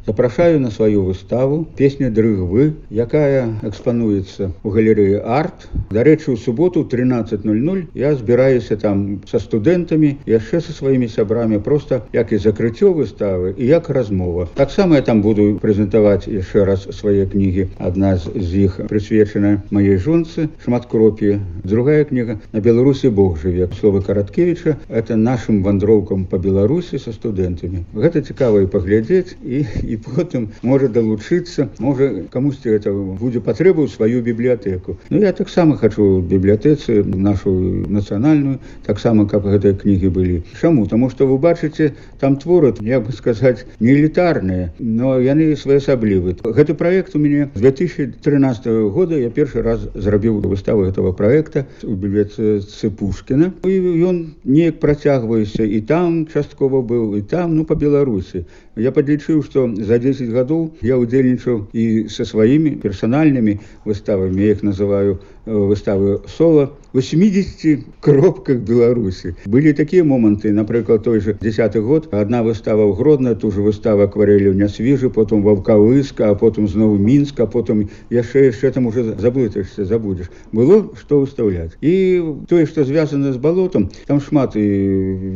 Запрашаю на сваю выставу «Песня дрыгвы», якая экспануецца ў галерэі «Арт». Дарэчы, у суботу ў 13:00 я збіраюся там са студэнтамі, яшчэ са сваімі сябрамі, проста як і закрыццё выставы, і як размова. Таксама я там буду прэзентаваць яшчэ раз свае кнігі. Адна з іх прысвечана маей жонцы Шматкропі. Другая кніга «На Беларусі Бог жыве». Словы Караткевіча – это нашым вандроўкам па Беларусі са студэнтамі. Гэта цікава і паглядзець, і потым можа далучыцца, можа камусьці гэта будзе патрэба ў сваю бібліятэку. Ну, я таксама хачу ў бібліятэцы нашу нацыянальную, таксама, каб гэтыя кнігі былі. Чаму? Таму што вы бачыце, там творы, як бы сказаць, не элітарныя, но яны своеасаблівыя. Гэты праект у мяне з 2013 года, я першы раз зрабіў выставу гэтага праекта у бібліятэцы Пушкіна. І ён неяк працягваецца, і там часткова быў, і там, па Беларусі. Я падлічыў, што за 10 гадоў я ўдзельнічаў і са сваімі персанальнымі выставамі, я іх называю выставы сола, 80 кропках Беларусі. Былі такія моманты, напрыклад, той же 10-й год, адна выстава ў Гродна, ту же выстава акварэлі ў Нясвіжы, потым Ваўкавыска, а потым зноў Мінск, а потым яшчэ там уже заблытаешся, забудзеш. Было што выстаўляць. І тое, што звязана з балотам, там шмат і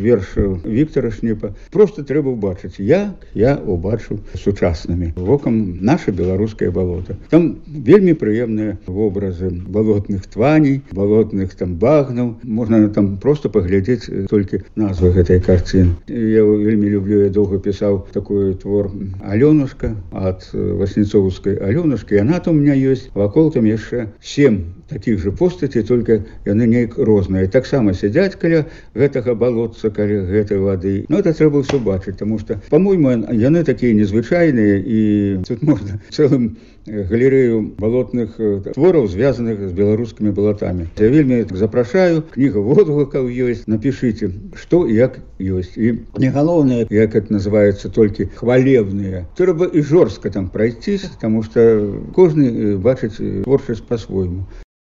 вершаў Віктара Шніпа. Просто трэба ўбачыць, як я убачыў сучаснымі вокам наша беларускае балота. Там вельмі прыемныя вобразы балотных тваней, балотных там багнаў. Можна там просто паглядзець толькі назвы гэтай карціны. Я вельмі люблю, я доўга пісаў такой твор «Алёнушка» ад Васніцоўскай «Алёнушкі». Яна там у меня ёсць. Вакол там яшчэ 7 таких же постацей, только яны неяк розныя. Таксама сядзяць каля гэтага балотца, каля гэтай вады. Но это трэба ўсё бачыць, таму што, по-мойму, яны такія незвычайныя, і тут можна цэлым галерэю балотных твораў, звязаных з беларускімі балотамі. Я вельмі запрашаю, кніга водгукаў ёсць, напішыце, што і як ёсць. І не галоўнае, як это называецца, толькі хвалебныя. Трэба і жорстка там прайсціся, таму што кожны бачыць творчасць па-свойму.